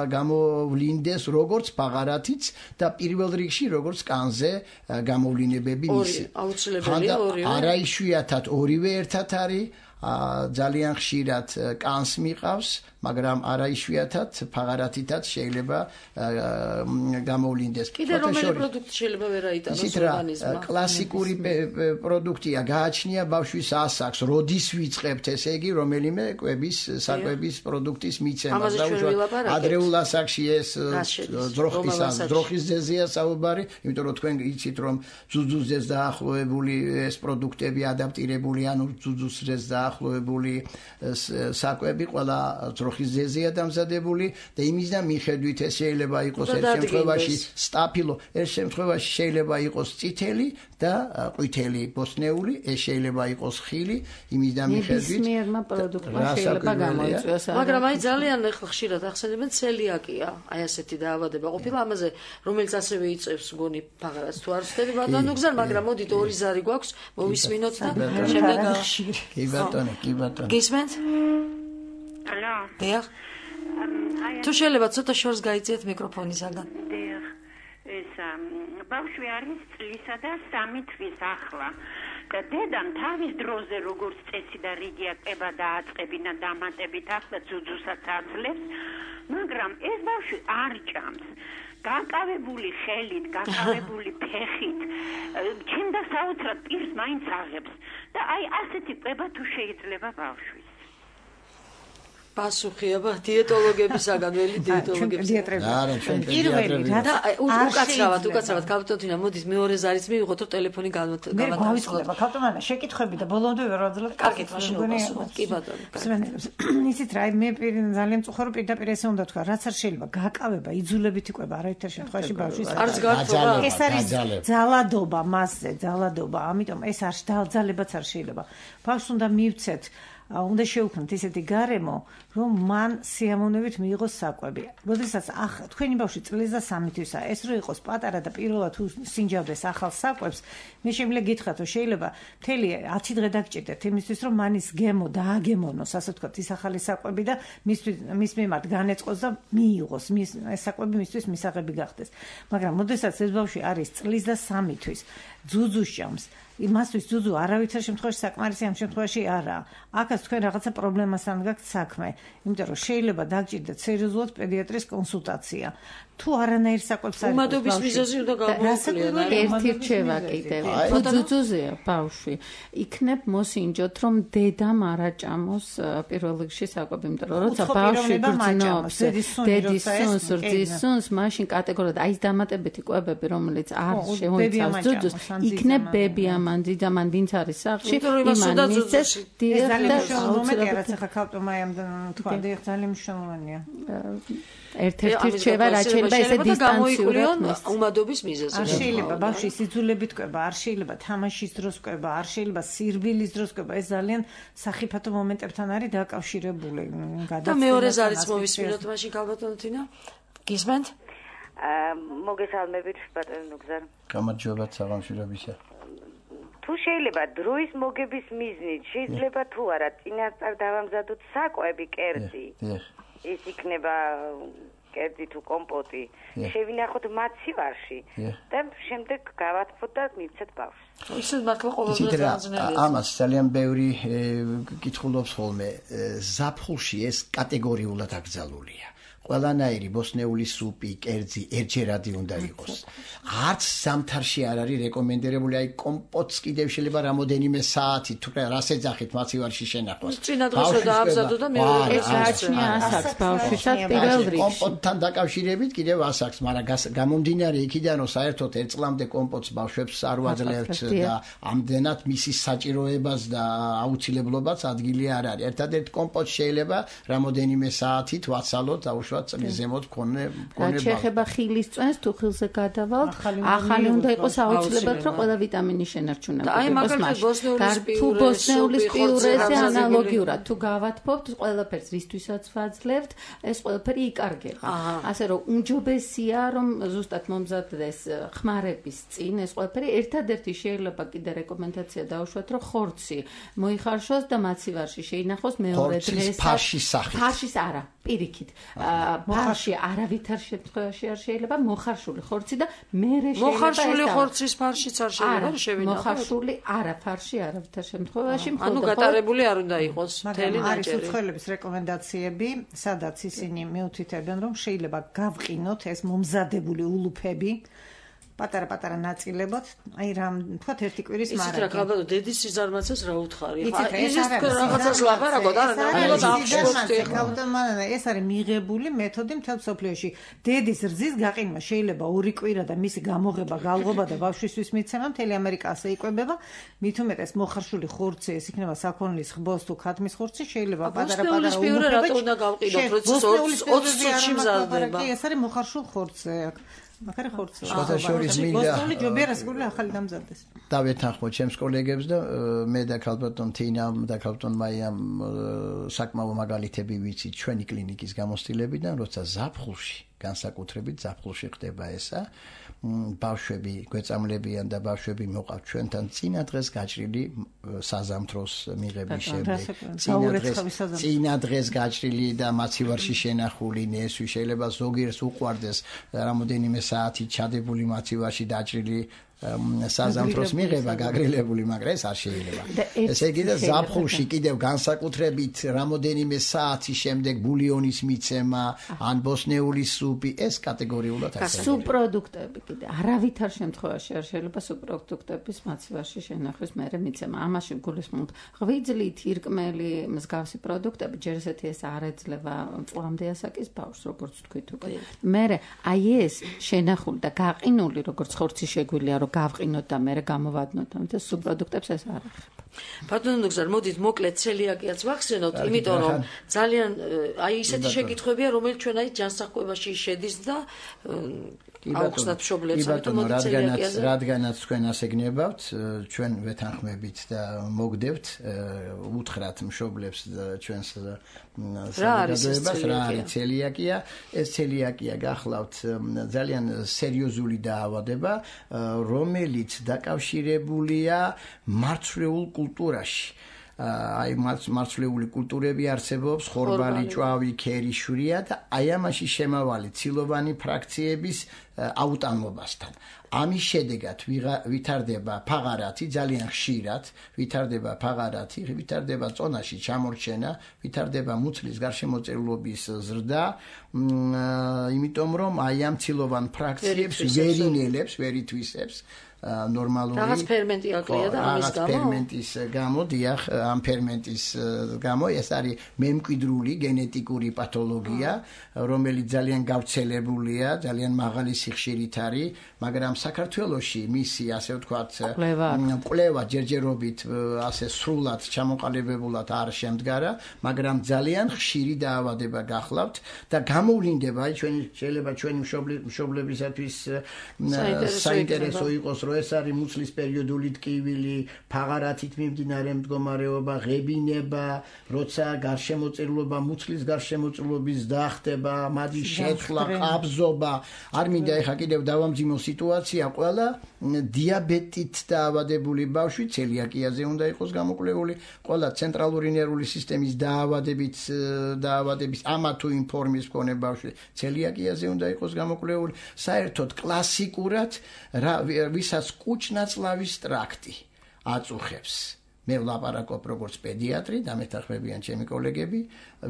გამოვლინდეს როგორც ბაღარათიც და პირველ რიგში როგორც კანზე გამოვლინებები მისი. აუცილებელია ორივე. არაიშვიათად ორივე ერთად არის ძალიან ხშირად კანს მიყავს, მაგრამ არაიშვიათად ბაღარათითაც შეიძლება გამოვლინდეს. კიდე რომელი პროდუქტი შეიძლება ვერ აიტანოს ორგანიზმმა? კლასიკური პროდუქტია, გააჩნია ბავშვის ასაკს, როდის ვიწყებთ, ესე იგი, რომელიმე კვების, საკვების პროდუქტის მიცემას დაუშვათ. ადრეულ ასაკში ეს ძროხის ძროხის ძეზეა საუბარი, იმიტომ რომ თქვენ იცით რომ ძუძუზეს დაახლოებული ეს პროდუქტები ადაპტირებული, ანუ ძუძუზეს დაახლოებული საკვები ყველა ძროხის ძეზეა დამზადებული და იმისგან მიხედვით ეს შეიძლება იყოს ერთ შემთხვევაში სტაფილო, ერთ შემთხვევაში შეიძლება იყოს წითელი და ყვითელი ბოსტნეული, ეს შეიძლება იყოს ხილი, იმისგან მიხედვით ნებისმიერმა პროდუქტმა შეიძლება გამოიწვიოს. მაგრამ აი ძალიან ხშირად ახსენებენ ცელიაკია, აი ასეთი დაავადება ყოფილა ამაზე, რომელიც ასევე იწევს მგონი ბაღარათს თუ არ ვცდები ბატონო გზარ, მაგრამ მოდით ორი ზარი გვაქვს, მოვისმინოთ და შემდეგ კი ბატონო, კი ბატონო. გისმენთ? ალო. დიახ. თუ შეიძლება ცოტა შორს გაიწიეთ მიკროფონისაგან. დიახ. ეს ბავშვი არის წლისა და სამი თვის ახლა. და დედამ თავის დროზე როგორც წესი და რიგი აკება დააწყებინა დამატებით ახლა ძუძუსაც აძლევს, მაგრამ ეს ბავშვი არ ჭამს. გაკავებული ხელით, გაკავებული ფეხით, ჩნდა საოცრად პირს მაინც აღებს და აი ასეთი კვება თუ შეიძლება ბავშვის. პასუხია დიეტოლოგებისაგან, ველი დიეტოლოგებისაგან. არა, ჩვენ პედიატრები. და უკაცრავად, უკაცრავად კაპიტონა მოდით მეორე ზარიც მივიღოთ რომ ტელეფონი გამოვაწყოთ. მე გავიწყდება კაპიტონა, შეკითხები და ბოლომდე ვერ ვაძლევ. კარგით, მაშინ უპასუხოთ. კი ბატონო. ისიც რა, მე ძალიან წუხარ რომ პირდაპირ ესე უნდა თქვა, რაც არ შეიძლება გაკავება, იძულებითი კვება არაერთერ შემთხვევაში ბავშვის. არც გართობა. ეს არის ძალადობა მასზე, ძალადობა, ამიტომ ეს არ ძალებაც არ შეიძლება. ბავშვს უნდა მივცეთ უნდა შევქმნათ ისეთი გარემო, რომ მან სიამოვნებით მიიღოს საკვები. როდესაც თქვენი ბავშვი წლის და სამი თვისაა, ეს რო იყოს პატარა და პირველად თუ სინჯავდეს ახალ საკვებს, მე შემიძლია გითხრათ, რომ შეიძლება მთელი ათი დღე დაგჭირდეთ იმისთვის, რომ მან ის გემო დააგემოვნოს, ასე ვთქვათ, ის ახალი საკვები და მის მიმართ განეწყოს და მიიღოს, მის ეს საკვები მისთვის მისაღები გახდეს. მაგრამ როდესაც ეს ბავშვი არის წლის და სამი თვის, ძუძუს ჭამს, იმასთვის ძუძუ არავითარ შემთხვევაში საკმარისი ამ შემთხვევაში არაა. აქაც თქვენ რაღაცა პრობლემასთან გაქვთ საქმე, იმიტომ რომ შეიძლება დაგჭირდეთ სერიოზულად პედიატრის კონსულტაცია. თუ არანაირ საკვებს არის უმადობის მიზეზი უნდა გამოვიკლია. ერთი რჩევა კიდევ. თუ ძუძუზეა ბავშვი, იქნებ მოსინჯოთ, რომ დედამ არ აჭამოს პირველ რიგში საკვები, იმიტომ რომ როცა ბავშვი გრძნობს, დედის სუნს, რძის სუნს, მაშინ კატეგორიულად აი ეს დამატებითი კვებები, რომელიც არ შეუძლებს ძუძუს, იქნებ ბები ამან დიდამან ვინც არის სახლში, იმან მისცეს დიახ და აუცილებლად რაც ახლა ქალტომაიამ თქვა, დიახ ძალიან მნიშვნელოვანია. ერთ-ერთი რჩევა რაც შეიძლება ესე დისტანციურად უმადობის მიზეზი. არ შეიძლება ბავშვი სიძულებით კვება, არ შეიძლება თამაშის დროს კვება, არ შეიძლება სირბილის დროს კვება, ეს ძალიან სახიფათო მომენტებთან არის დაკავშირებული. და მეორე ზარიც მოვისმინოთ მაშინ ქალბატონო თინა. გისმენთ? აა მოგესალმებით ბატონო ნუგზარ. გამარჯობათ საღამოშრობისა. თუ შეიძლება დროის მოგების მიზნით შეიძლება თუ არა წინასწარ დავამზადოთ საკვები კერძი. დიახ. ის იქნება კერძი თუ კომპოტი. შევინახოთ მაცივარში და შემდეგ გავათფოთ და მივცეთ ბავშვს. ისეთ მართლა ყოველდღე ძანზნელია. ამას ძალიან ბევრი კითხულობს ხოლმე. ზაფხულში ეს კატეგორიულად აკრძალულია. ყველანაირი ბოსნეული სუპი, კერძი ერთჯერადი უნდა იყოს. არც ზამთარში არ არის რეკომენდებული, აი კომპოტს კიდევ შეიძლება რამოდენიმე საათი თუ რას ეძახით მაცივარში შენახოს. წინა დღესო დაამზადო და მეორე ეს გააჩნია ასაკს ბავშვისას პირველ რიგში. კომპოტთან დაკავშირებით კიდევ ასაკს, მაგრამ გამომდინარე იქიდან რომ საერთოდ ერთ წლამდე კომპოტს ბავშვებს არ ვაძლევთ და ამდენად მისი საჭიროებას და აუცილებლობაც ადგილი არ არის. ერთადერთ კომპოტს შეიძლება რამოდენიმე საათით ვაცალოთ, აუშვათ წლის ზემოთ მქონე მქონე შეხება ხილის წვენს თუ ხილზე გადავალთ ახალი უნდა იყოს აუცილებლად რომ ყველა ვიტამინი შენარჩუნებოდეს. აი მაგალითად ბოსნეულის თუ ბოსნეულის პიურეზე ანალოგიურად თუ გავათფობთ ყველაფერს რისთვისაც ვაძლევთ ეს ყველაფერი იკარგება. ასე რომ უმჯობესია რომ ზუსტად მომზადდეს ხმარების წინ ეს ყველაფერი ერთადერთი შეიძლება კიდე რეკომენდაცია დაუშვათ რომ ხორცი მოიხარშოს და მაცივარში შეინახოს მეორე დღეს ფარშის სახით. ფარშის არა პირიქით. ფარში არავითარ შემთხვევაში არ შეიძლება მოხარშული ხორცი და მერე შეიძლება მოხარშული ხორცის ფარშიც არ შეიძლება შევინახოთ. მოხარშული არა ფარში არავითარ შემთხვევაში მხოლოდ ანუ გატარებული არ უნდა იყოს მთელი ნაჭერი. არის უცხოელების რეკომენდაციები, სადაც ისინი მიუთითებენ რომ შეიძლება გავყინოთ ეს მომზადებული ულუფები პატარა-პატარა ნაწილებად, აი რამ თქვათ ერთი კვირის მარაგი. იცით რა ქალბატონო, დედის სიზარმაცეს რა უთხარი? ის რაღაცას ლაპარაკობ, არა, ნამდვილად აღშფოთდი. ქალბატონო, ეს არის მიღებული მეთოდი მთელ მსოფლიოში. დედის რძის გაყინვა შეიძლება ორი კვირა და მისი გამოღება, გალღობა და ბავშვისთვის მიცემა მთელი ამერიკა ასე იკვებება. მით უმეტეს მოხარშული ხორცი, ეს იქნება საქონლის ხბოს თუ ქათმის ხორცი, შეიძლება პატარა-პატარა ულუფები. რატო უნდა გავყიდოთ, როცა ოცი წუთში მზადდება? ეს არის მოხარშულ ხორცზე აქ. მაგარი ხორცი. შოთაშორის მინდა. ბოსტონი ჯობია რასკული ახალი დამზადდეს. დავეთანხმოთ ჩემს კოლეგებს და მე და ქალბატონ თინამ და ქალბატონ მაიამ საკმაო მაგალითები ვიცით ჩვენი კლინიკის გამოცდილებიდან, როცა ზაფხულში, განსაკუთრებით ზაფხულში ხდება ესა, ბავშვები გვეწამლებიან და ბავშვები მოყავთ ჩვენთან წინა დღეს გაჭრილი საზამთროს მიღების შემდეგ. წინა დღეს გაჭრილი და მაცივარში შენახული ნესვი შეიძლება ზოგიერს უყვარდეს რამოდენიმე საათი ჩადებული მაცივარში დაჭრილი საზამთროს მიღება გაგრილებული, მაგრამ ეს არ შეიძლება. ესე იგი და ზაფხულში კიდევ განსაკუთრებით რამოდენიმე საათის შემდეგ ბულიონის მიცემა, ან ბოსნეული სუპი, ეს კატეგორიულად არ შეიძლება. სუბპროდუქტები კიდე არავითარ შემთხვევაში არ შეიძლება სუბპროდუქტების მაცივარში შენახვის მერე მიცემა. ამაში გულისხმობთ ღვიძლი, თირკმელი, მსგავსი პროდუქტები, ჯერ ესეთი ეს არ ეძლევა წლამდე ასაკის ბავშვს, როგორც თქვით უკვე. მერე აი ეს შენახული და გაყინული, როგორც ხორცი შეგვიძლია გავყინოთ და მერე გამოვადნოთ, ამიტომ სუბპროდუქტებს ეს არ ახერხება. ბატონო ნუგზარ, მოდით მოკლედ ცელიაკიაც ვახსენოთ, იმიტომ რომ ძალიან აი ისეთი შეკითხვებია, რომელიც ჩვენ აი ჯანსაღკვებაში შედის და აუხსნათ მშობლებს, ამიტომ მოდი ცელიაკიაზე. რადგანაც თქვენ ასე გნებავთ, ჩვენ ვეთანხმებით და მოგდებთ უთხრათ მშობლებს ჩვენს საზოგადოებას რა არის ცელიაკია. ეს ცელიაკია გახლავთ ძალიან სერიოზული დაავადება, რომელიც დაკავშირებულია მარცვლეულ კულტურაში. აი მარცვლეული კულტურები არსებობს, ხორბალი, ჭვავი, ქერი, შვრია და აი ამაში შემავალი ცილოვანი ფრაქციების აუტანმობასთან. ამის შედეგად ვითარდება ფაღარათი ძალიან ხშირად, ვითარდება ფაღარათი, ვითარდება წონაში ჩამორჩენა, ვითარდება მუცლის გარშემოწერულობის ზრდა, იმიტომ რომ აი ამ ცილოვან ფრაქციებს ვერ ინელებს, ვერ ითვისებს ნორმალური რაღაც ფერმენტი აკლია და ამის გამო ფერმენტის გამო დიახ ამ ფერმენტის გამო ეს არის მემკვიდრული გენეტიკური პათოლოგია, რომელიც ძალიან გავრცელებულია, ძალიან მაღალი სიხშირით არის, მაგრამ საქართველოში მისი ასე ვთქვათ კვლევა ჯერჯერობით ასე სრულად ჩამოყალიბებულად არ შემდგარა, მაგრამ ძალიან ხშირი დაავადება გახლავთ და გამოვლინდება აი ჩვენი შეიძლება ჩვენი მშობლებისათვის საინტერესო იყოს რომ ეს არის მუცლის პერიოდული ტკივილი, ფაღარათით მიმდინარე მდგომარეობა, ღებინება, როცა გარშემოწერულობა, მუცლის გარშემოწერულობის დახტება, მადის შეცვლა, ყაბზობა, არ მინდა ეხა კიდევ დავამძიმო სიტუაცია, ყველა დიაბეტით დაავადებული ბავშვი ცელიაკიაზე უნდა იყოს გამოკვლეული, ყველა ცენტრალური ნერვული სისტემის დაავადებით დაავადების ამა თუ იმ ფორმის მქონე ბავშვი ცელიაკიაზე უნდა იყოს გამოკვლეული, საერთოდ კლასიკურად ვისაც კუჭ-ნაწლავის ტრაქტი აწუხებს. მე ვლაპარაკობ როგორც პედიატრი და მეთანხმებიან ჩემი კოლეგები,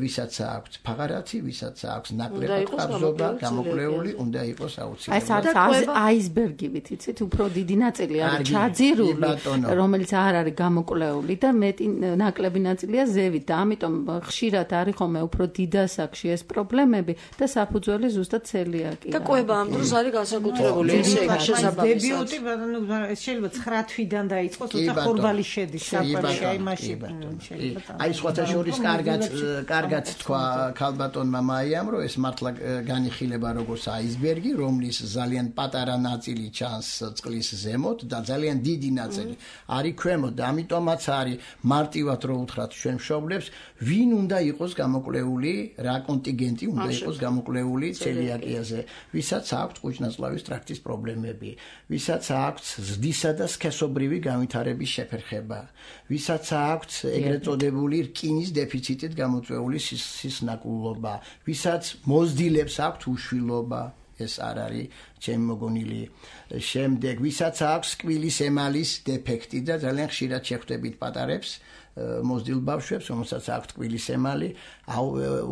ვისაც აქვს ფაღარათი, ვისაც აქვს ნაკლებად ყაბზობა, გამოკვლეული, უნდა იყოს აუცილებლად. ეს არის აისბერგივით, იცით, უფრო დიდი ნაწილი არის ჩაძირული, რომელიც არ არის გამოკვლეული და მეტი ნაკლები ნაწილია ზევით და ამიტომ ხშირად არის ხოლმე უფრო დიდასაკში ეს პრობლემები და საფუძველი ზუსტად ცელიაკია. და კვება ამ დროს არის განსაკუთრებული ესე შესაბამისად. დებიუტი, მაგრამ ეს შეიძლება ცხრა თვიდან დაიწყოს, თუმცა ხორბალი შედის. აი სხვათა შორის კარგად კარგად თქვა ქალბატონმა მაიამ, რომ ეს მართლა განიხილება როგორც აისბერგი, რომლის ძალიან პატარა ნაწილი ჩანს წყლის ზემოთ და ძალიან დიდი ნაწილი არის ქვემოთ და ამიტომაც არის მარტივად რო უთხრათ ჩვენ მშობლებს, ვინ უნდა იყოს გამოკვლეული, რა კონტინგენტი უნდა იყოს გამოკვლეული ცელიაკიაზე, ვისაც აქვს კუჭ-ნაწლავის ტრაქტის პრობლემები, ვისაც აქვს ზრდისა და სქესობრივი განვითარების შეფერხება, ვისაც აქვს ეგრეთ წოდებული რკინის დეფიციტით გამოწვეული სისნაკულობა, ვისაც მოზდილებს აქვს უშვილობა, ეს არ არის ჩემი მოგონილი. შემდეგ ვისაც აქვს კბილის ემალის დეფექტი და ძალიან ხშირად შეხვდებით პატარებს მოზდილ ბავშვებს, რომელსაც აქვთ კბილის ემალი,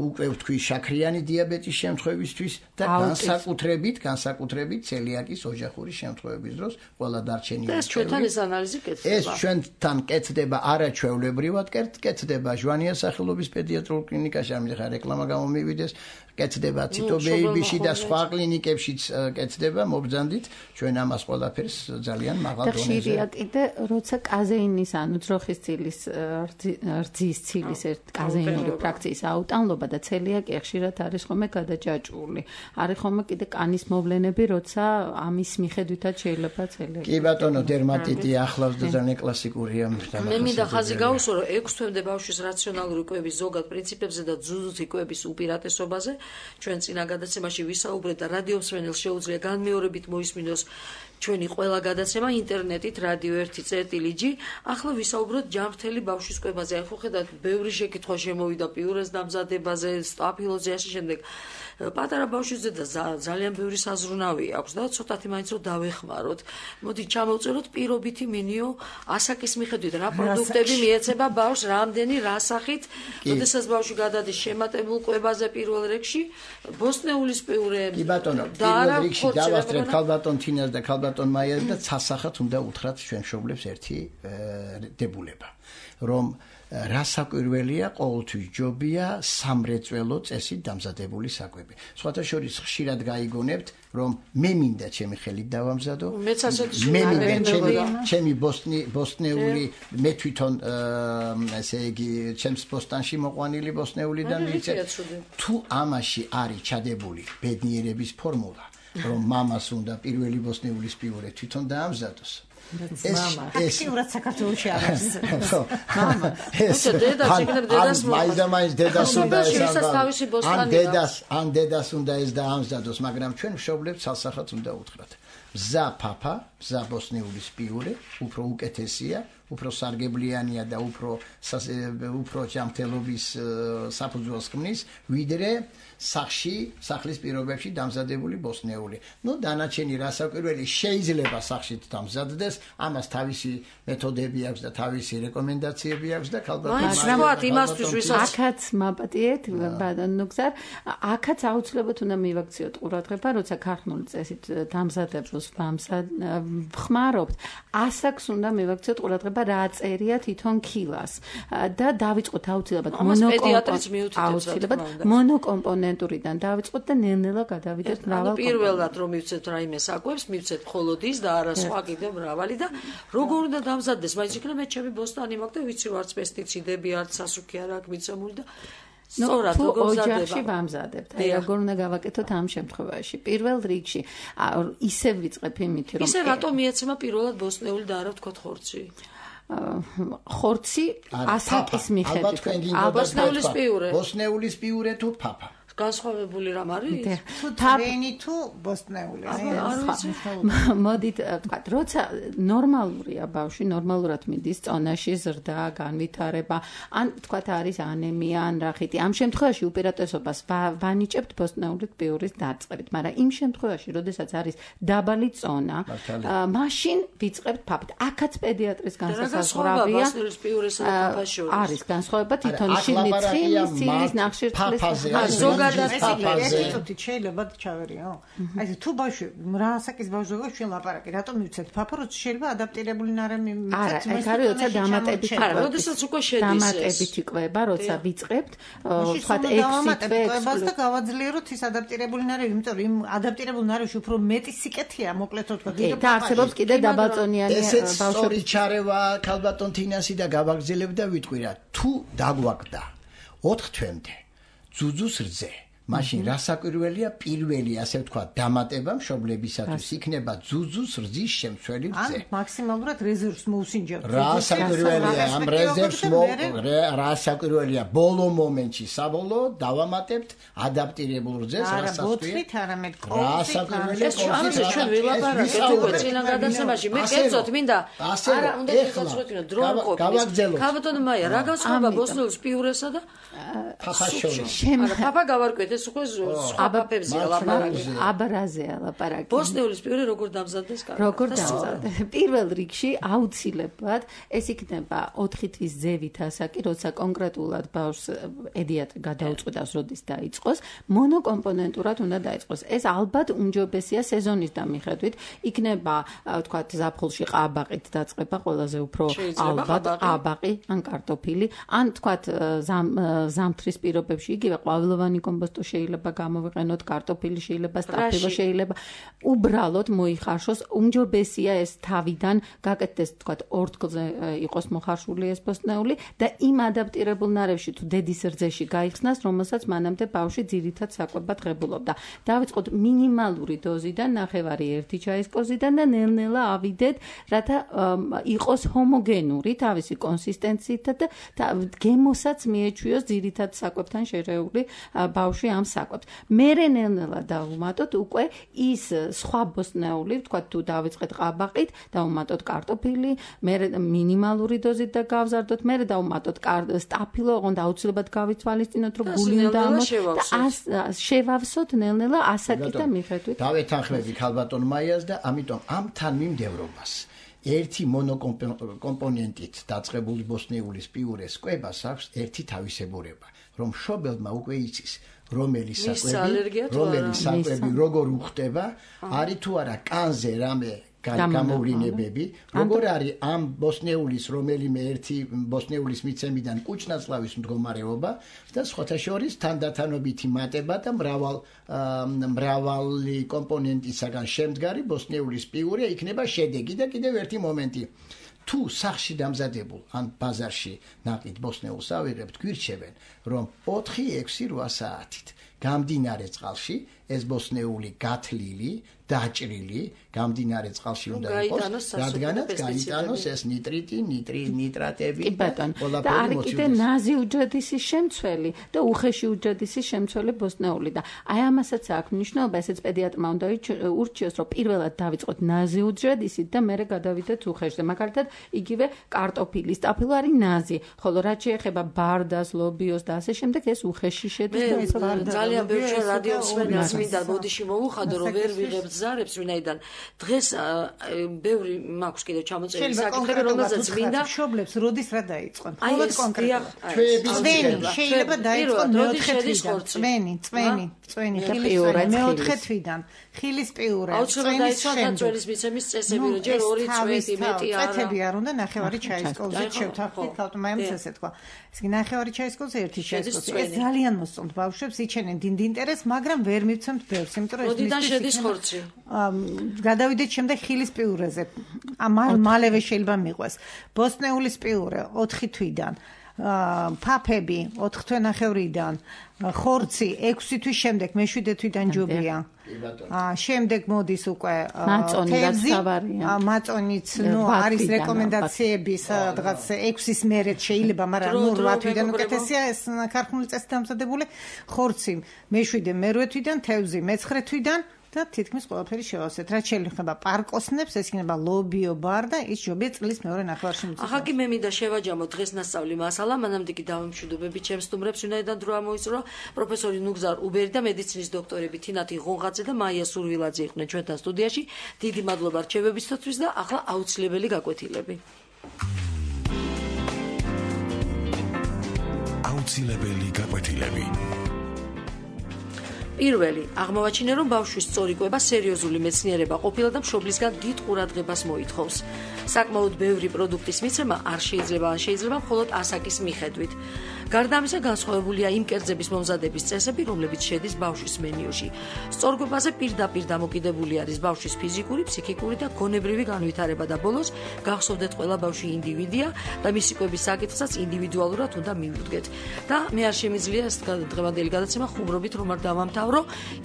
უკვე ვთქვი შაქრიანი დიაბეტის შემთხვევისთვის და განსაკუთრებით, განსაკუთრებით ცელიაკის ოჯახური შემთხვევების დროს ყველა დარჩენილი. ეს ჩვენთან ეს ანალიზი კეთდება. ეს ჩვენთან კეთდება არაჩვეულებრივად, კეთდება ჟვანია სახელობის პედიატრიულ კლინიკაში, ამით ხა რეკლამა გამომივიდეს, კეთდება ციტო ბეიბიში და სხვა კლინიკებშიც კეთდება, მობრძანდით ჩვენ ამას ყველაფერს ძალიან მაღალ დონეზე. და ხშირია კიდე, როცა კაზეინის ანუ ძროხის ცილის რძის ცილის ერთ კაზეინური ფრაქციის აუტანლობა და ცელიაკია ხშირად არის ხოლმე გადაჭაჭული. არის ხოლმე კიდე კანის მოვლენები, როცა ამის მიხედვითაც შეიძლება ცელიაკია. კი ბატონო, დერმატიტი ახლავს და ძალიან კლასიკურია. მე მინდა ხაზი გავუსვა, რომ ექვს თვემდე ბავშვის რაციონალური კვების ზოგად პრინციპებზე და ძუძუთი კვების უპირატესობაზე ჩვენ წინა გადაცემაში ვისაუბრეთ და რადიომსმენელს შეუძლია განმეორებით მოისმინოს ჩვენი ყველა გადაცემა ინტერნეტით რადიო ერთი წერტილი ჯი. ახლა ვისაუბროთ ჯანმრთელი ბავშვის კვებაზე. ახლა ხედავთ, ბევრი შეკითხვა შემოვიდა პიურეს დამზადებაზე, სტაფილოზე ასე შემდეგ. პატარა ბავშვებზე და ძალიან ბევრი საზრუნავი აქვს და ცოტათი მაინც რომ დავეხმაროთ. მოდი ჩამოვწეროთ პირობითი მენიუ ასაკის მიხედვით, რა პროდუქტები მიეცემა ბავშვს, რამდენი რასახით, როდესაც ბავშვი გადადის შემატებულ კვებაზე პირველ რიგში, ბოსტნეულის პიურე. კი ბატონო, პირველ რიგში დავასწრებ ქალბატონ თინას და ქალბატონ მაიას და ცალსახად უნდა უთხრათ ჩვენ მშობლებს ერთი დებულება, რომ რასაკვირველია, ყოველთვის ჯობია სამრეწველო წესით დამზადებული საკვები. სხვათა შორის ხშირად გაიგონებთ, რომ მე მინდა ჩემი ხელით დავამზადო. მეც ასეთი მე მინდა ჩემი ჩემი ბოსტნი ბოსტნეული მე თვითონ ესე იგი ჩემს ბოსტანში მოყვანილი ბოსტნეულიდან ვიცე. თუ ამაში არის ჩადებული ბედნიერების ფორმულა, რომ მამას უნდა პირველი ბოსნიულის პიურე თვითონ დაამზადოს. ეს აქტიურად საქართველოში არის. მამა. ეს დედა შეგნებ დედას მაინც დედას უნდა ეს ან დედას ან დედას უნდა ეს დაამზადოს, მაგრამ ჩვენ მშობლებს ცალსახად უნდა უთხრათ. მზა papa, მზა ბოსნიულის პიურე, უფრო უკეთესია, უფრო სარგებლიანია და უფრო უფრო ჯანმრთელობის საფუძველს ქმნის, ვიდრე სახში, სახლის პირობებში დამზადებული ბოსნეული. ნუ დანარჩენი რასაკვირველი შეიძლება სახშიც დამზადდეს, ამას თავისი მეთოდები აქვს და თავისი რეკომენდაციები აქვს და ალბათ იმასთვის ვისაც აქაც მაპატიეთ, ბადანოგზარ, აქაც აუცილებლად უნდა მივაქციოთ ყურადღება, როცა ქართული წესით დამზადებას ვხმარობთ, ასაკს უნდა მივაქციოთ ყურადღება რა წერია თვითონ ქილას და დავიწყოთ აუცილებლად მონოკომპონენტურიდან დავიწყოთ და ნელ-ნელა გადავიდეთ მრავალ კომპონენტს. პირველად რომ მივცეთ რაიმე საკვებს, მივცეთ მხოლოდ ის და არა სხვა კიდევ მრავალი და როგორ უნდა დამზადდეს, მაინც იქნება მე ჩემი ბოსტანი მაქვს და ვიცი ვარც პესტიციდები, არც სასუქი არ აქვს მიცემული და სწორად როგორ მზადდება. ოჯახში ვამზადებთ. აი როგორ უნდა გავაკეთოთ ამ შემთხვევაში. პირველ რიგში ისევ ვიწყებ იმით, რომ ისე რატომ მიეცემა პირველად ბოსნეული და არა ვთქვათ ხორცი? ხორცი ასაკის მიხედვით. ბოსნეულის პიურე. ბოსნეულის პიურე თუ papa. განსხვავებული რამ არის? თუ თვენი თუ ბოსნეული. მოდით ვთქვათ, როცა ნორმალურია ბავშვი, ნორმალურად მიდის წონაში ზრდა, განვითარება, ან ვთქვათ არის ანემია, ან რახითი. ამ შემთხვევაში უპირატესობას ვანიჭებთ ბოსნეულის პიურის დაწყებით, მაგრამ იმ შემთხვევაში, როდესაც არის დაბალი წონა, მაშინ ვიწყებთ papa-ით. აქაც პედიატრის განსაზღვრავია. ბოსნეულის პიურესა და papa-ს შორის. არის განსხვავება თვითონ შიგნიცხი, სილის ნახშირწყლის ესეთი შეიძლება ჩავერიო. აი თუ ბავშვი რა ასაკის ბავშვია ჩვენ ლაპარაკი, რატომ მივცეთ papa, როცა შეიძლება ადაპტირებული ნარემი მივცეთ. არა, ეს არის როცა დამატებით. არა, როდესაც უკვე შედის ეს. დამატებით იკვება, როცა ვიწყებთ, ვთქვათ ექვსი თვე და გავაძლიეროთ ის ადაპტირებული ნარევი, იმიტომ რომ იმ ადაპტირებულ ნარევში უფრო მეტი სიკეთეა, მოკლედ ვთქვათ. და არსებობს კიდე დაბალწონიანი ბავშვები. სწორი ჩარევა ქალბატონ თინასი და გავაგზელებ და ვიტყვი რა, თუ დაგვაგდა ოთხ თვემდე ძუძუს რძე, მაშინ რასაკვირველია პირველი, ასე ვთქვათ, დამატება მშობლებისათვის იქნება ძუძუს რძის შემცველი რძე. ან მაქსიმალურად რეზერვს მოუსინჯებთ. რასაკვირველია ამ რეზერვს რასაკვირველია ბოლო მომენტში საბოლოოდ დავამატებთ ადაპტირებულ რძეს, რასაც ვთქვით, არამედ რასაკვირველია კოლსით ჩვენ ვილაპარაკეთ უკვე წინა გადაცემაში. მე კერძოდ მინდა არა უნდა შეგაცვლოთ დრო არ ყოფილის. ქალბატონ მაია, რა განსხვავება ბოსნეულის პიურესა და papa შორის? არა, papa გავარკვეთ ეს უკვე სხვა პაპებზეა ლაპარაკი. აბარაზეა ლაპარაკი. ბოსნეულის პიურე როგორ დამზადდეს კარგად? როგორ დამზადდეს? პირველ რიგში აუცილებლად ეს იქნება ოთხი თვის ზევით ასაკი, როცა კონკრეტულად ბავშვს პედიატრი გადაუწყვეტავს, როდის დაიწყოს, მონოკომპონენტურად უნდა დაიწყოს. ეს ალბათ უმჯობესია სეზონის დამიხედვით. იქნება, ვთქვათ, ზაფხულში ყაბაყით დაწყება ყველაზე უფრო ალბათ, ყაბაყი ან კარტოფილი, ან ვთქვათ, ზამთრის პირობებში იგივე ყვავილოვანი კომპოსტო შეიძლება გამოვიყენოთ, კარტოფილი შეიძლება, სტაფილო შეიძლება. უბრალოდ მოიხარშოს, უმჯობესია ეს თავიდან გაკეთდეს, ვთქვათ, ორთქლზე იყოს მოხარშული ეს ბოსტნეული და იმ ადაპტირებულ ნარევში თუ დედის რძეში გაიხსნას, რომელსაც მანამდე ბავშვი ძირითად საკვებად ღებულობდა. დავიწყოთ მინიმალური დოზიდან, ნახევარი ერთი ჩაის კოზიდან და ნელ-ნელა ავიდეთ, რათა იყოს ჰომოგენური თავისი კონსისტენციით და გემოსაც მიეჩვიოს ძირითად საკვებთან შერეული ბავშვი ამ საკვებს. მერე ნელ-ნელა დავუმატოთ უკვე ის სხვა ბოსტნეული, ვთქვათ, თუ დავიწყეთ ყაბაყით, დავუმატოთ კარტოფილი, მერე მინიმალური დოზით და გავზარდოთ, მერე დავუმატოთ სტაფილო, ოღონდ აუცილებლად გავიცვალისწინოთ, რომ გული უნდა ამოს და შევავსოთ ნელ-ნელა ასაკით და მიხედვით. დავეთანხმები ქალბატონ მაიას და ამიტომ ამ თანმიმდევრობას ერთი მონოკომპონენტით დაწყებული ბოსნეულის პიურეს კვებას აქვს ერთი თავისებურება, რომ მშობელმა უკვე იცის რომელი საკვები, რომელი საკვები როგორ უხდება, არის თუ არა კანზე რამე გამოვლინებები, როგორ არის ამ ბოსნეულის რომელიმე ერთი ბოსნეულის მიცემიდან კუჭნაწლავის მდგომარეობა და სხვათა შორის თანდათანობითი მატება და მრავალ მრავალი კომპონენტისაგან შემდგარი ბოსნეულის პიურე იქნება შედეგი და კიდევ ერთი მომენტი. თუ სახში დამზადებულ ან ბაზარში ნაყიდ ბოსნეულს ავიღებთ, გვირჩევენ, რომ ოთხი ექვსი რვა საათით გამდინარე წყალში ეს ბოსნეული გათლილი დაჭრილი გამდინარე წყალში უნდა იყოს რადგანაც გაიტანოს ეს ნიტრიტი ნიტრი ნიტრატები და არის კიდე ნაზი უჯრედისის შემცველი და უხეში უჯრედისის შემცველი ბოსნეული და აი ამასაც აქვს მნიშვნელობა ესეც პედიატრმა უნდა ურჩიოს რომ პირველად დავიწყოთ ნაზი უჯრედისით და მერე გადავიდეთ უხეშზე მაგალითად იგივე კარტოფილი სტაფილო არის ნაზი ხოლო რაც შეეხება ბარდას ლობიოს და ასე შემდეგ ეს უხეში შედის და ეს ძალიან ბევრი რადიო მსმენელს მინდა ბოდიში მოუხადო რომ ვერ ვიღებ ზარებს ვინაიდან დღეს ბევრი მაქვს კიდევ წამოწეული საკითხები რომელზეც მინდა მშობლებს როდის რა დაიწყონ მხოლოდ კონკრეტულად შეიძლება დაიწყონ მეოთხე თვიდან წვენი წვენი წვენი მეოთხე თვიდან ხილის პიურა წვენის შემდგომ მიცემის წესები რომ ჯერ ორი წვეთი მეტი არა წვეთები არ უნდა ნახევარი ჩაის კოლზე შევთანხმდით ხალხმა მაინც ესეთ თქვა ეს კი ნახევარი ჩაის კოლზე ერთი ჩაის კოლზე ეს ძალიან მოსწონთ ბავშვებს იჩენენ დიდ ინტერესს მაგრამ ვერ მივცემთ ბევრს იმიტომ რომ როდიდან შედის ხორცი გადავიდეთ შემდეგ ხილის პიურეზე მალევე შეიძლება მიყვეს ბოსნეულის პიურე ოთხი თვიდან ფაფები ოთხ თვენახევრიდან ხორცი ექვსი თვის შემდეგ მეშვიდე თვიდან ჯობია შემდეგ მოდის უკვე თევზი მაწონიც ნუ არის რეკომენდაციების რაღაც ექვსის მერე შეიძლება მაგრამ ნუ რვა თვიდან უკეთესია ეს ქარხნული წესით დამზადებული ხორცი მეშვიდე მერვე თვიდან თევზი მეცხრე თვიდან და თითქმის ყველაფერი შევავსეთ. რაც შეიძლება პარკოსნებს, ეს იქნება ლობიო ბარ და ის ჯობია წლის მეორე ნახევარში მიწვევს. ახლა კი მე მინდა შევაჯამო დღესნასწავლი მასალა, მანამდე კი დავემშვიდობები ჩემს სტუმრებს, ვინაიდან დრო ამოიწურა პროფესორი ნუგზარ უბერი და მედიცინის დოქტორები თინათი ღონღაძე და მაია სურვილაძე იყვნენ ჩვენთან სტუდიაში. დიდი მადლობა რჩევებისთვის და ახლა აუცილებელი გაკვეთილები. აუცილებელი გაკვეთილები. პირველი, აღმოვაჩინა რომ ბავშვის სწორი კვება სერიოზული მეცნიერება ყოფილა და მშობლისგან დიდ ყურადღებას მოითხოვს. საკმაოდ ბევრი პროდუქტის მიცემა არ შეიძლება ან შეიძლება მხოლოდ ასაკის მიხედვით. გარდა ამისა, განსხვავებულია იმ კერძების მომზადების წესები, რომლებიც შედის ბავშვის მენიუში. სწორკვებაზე პირდაპირ დამოკიდებული არის ბავშვის ფიზიკური, ფსიქიკური და გონებრივი განვითარება და ბოლოს გახსოვდეთ ყველა ბავშვი ინდივიდია და მისი კვების საკითხსაც ინდივიდუალურად უნდა მივუდგეთ. და მე არ შემიძლია ეს დღევანდელი გადაცემა ხუმრობით რომ არ დავამთავრო,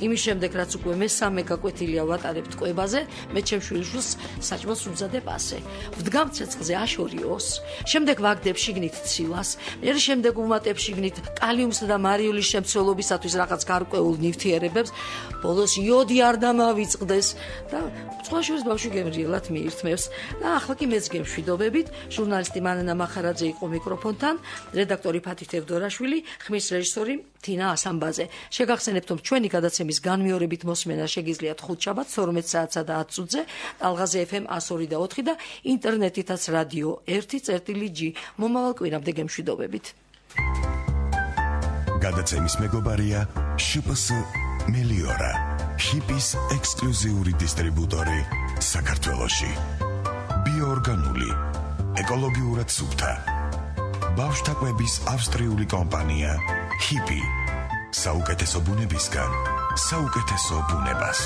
იმის შემდეგ რაც უკვე მესამე გაკვეთილია ვატარებთ კვებაზე, მე ჩემს შვილიშვილს საჭმელს ვმზადებ ასე. ვდგამ ცეცხლზე აშორიოს, შემდეგ ვაგდებ შიგნით ცილას, მე შემდეგ ვუმატებ შიგნით კალიუმსა და მარიულის შემცველობისათვის რაღაც გარკვეულ ნივთიერებებს, ბოლოს იოდი არ დამავიწყდეს და სხვაშორის ბავშვი გემრიელად მიირთმევს. და ახლა კი მეც გემშვიდობებით, ჟურნალისტი მანანა მახარაძე იყო მიკროფონთან, რედაქტორი ფათი თევდორაშვილი, ხმის რეჟისორი თინა ასამბაძე. შეგახსენებთ, რომ ჩვენი გადაცემის განმეორებით მოსმენა შეგიძლიათ ხუთშაბათს თორმეტ საათსა და ათ წუთზე, ტალღაზე ეფ ემ one oh three და four და ინტერნეტითაც რადიო one წერტილი ჯი. მომავალ კვირამდე გემშვიდობებით. გადაცემის მეგობარია შპ ეს მელიორა, ჰიპის ექსკლუზიური დისტრიბუტორი საქართველოში. ბიოორგანული, ეკოლოგიურად სუფთა. ბავშვთა კვების ავსტრიული კომპანია ჰიპი. საუკეთესო ბუნებისგან, საუკეთესო ბუნებას.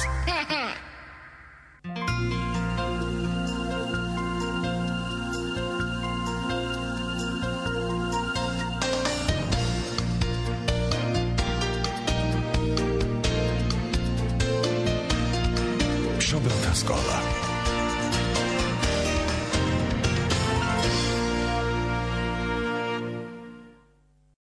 მშობელთა სკოლა.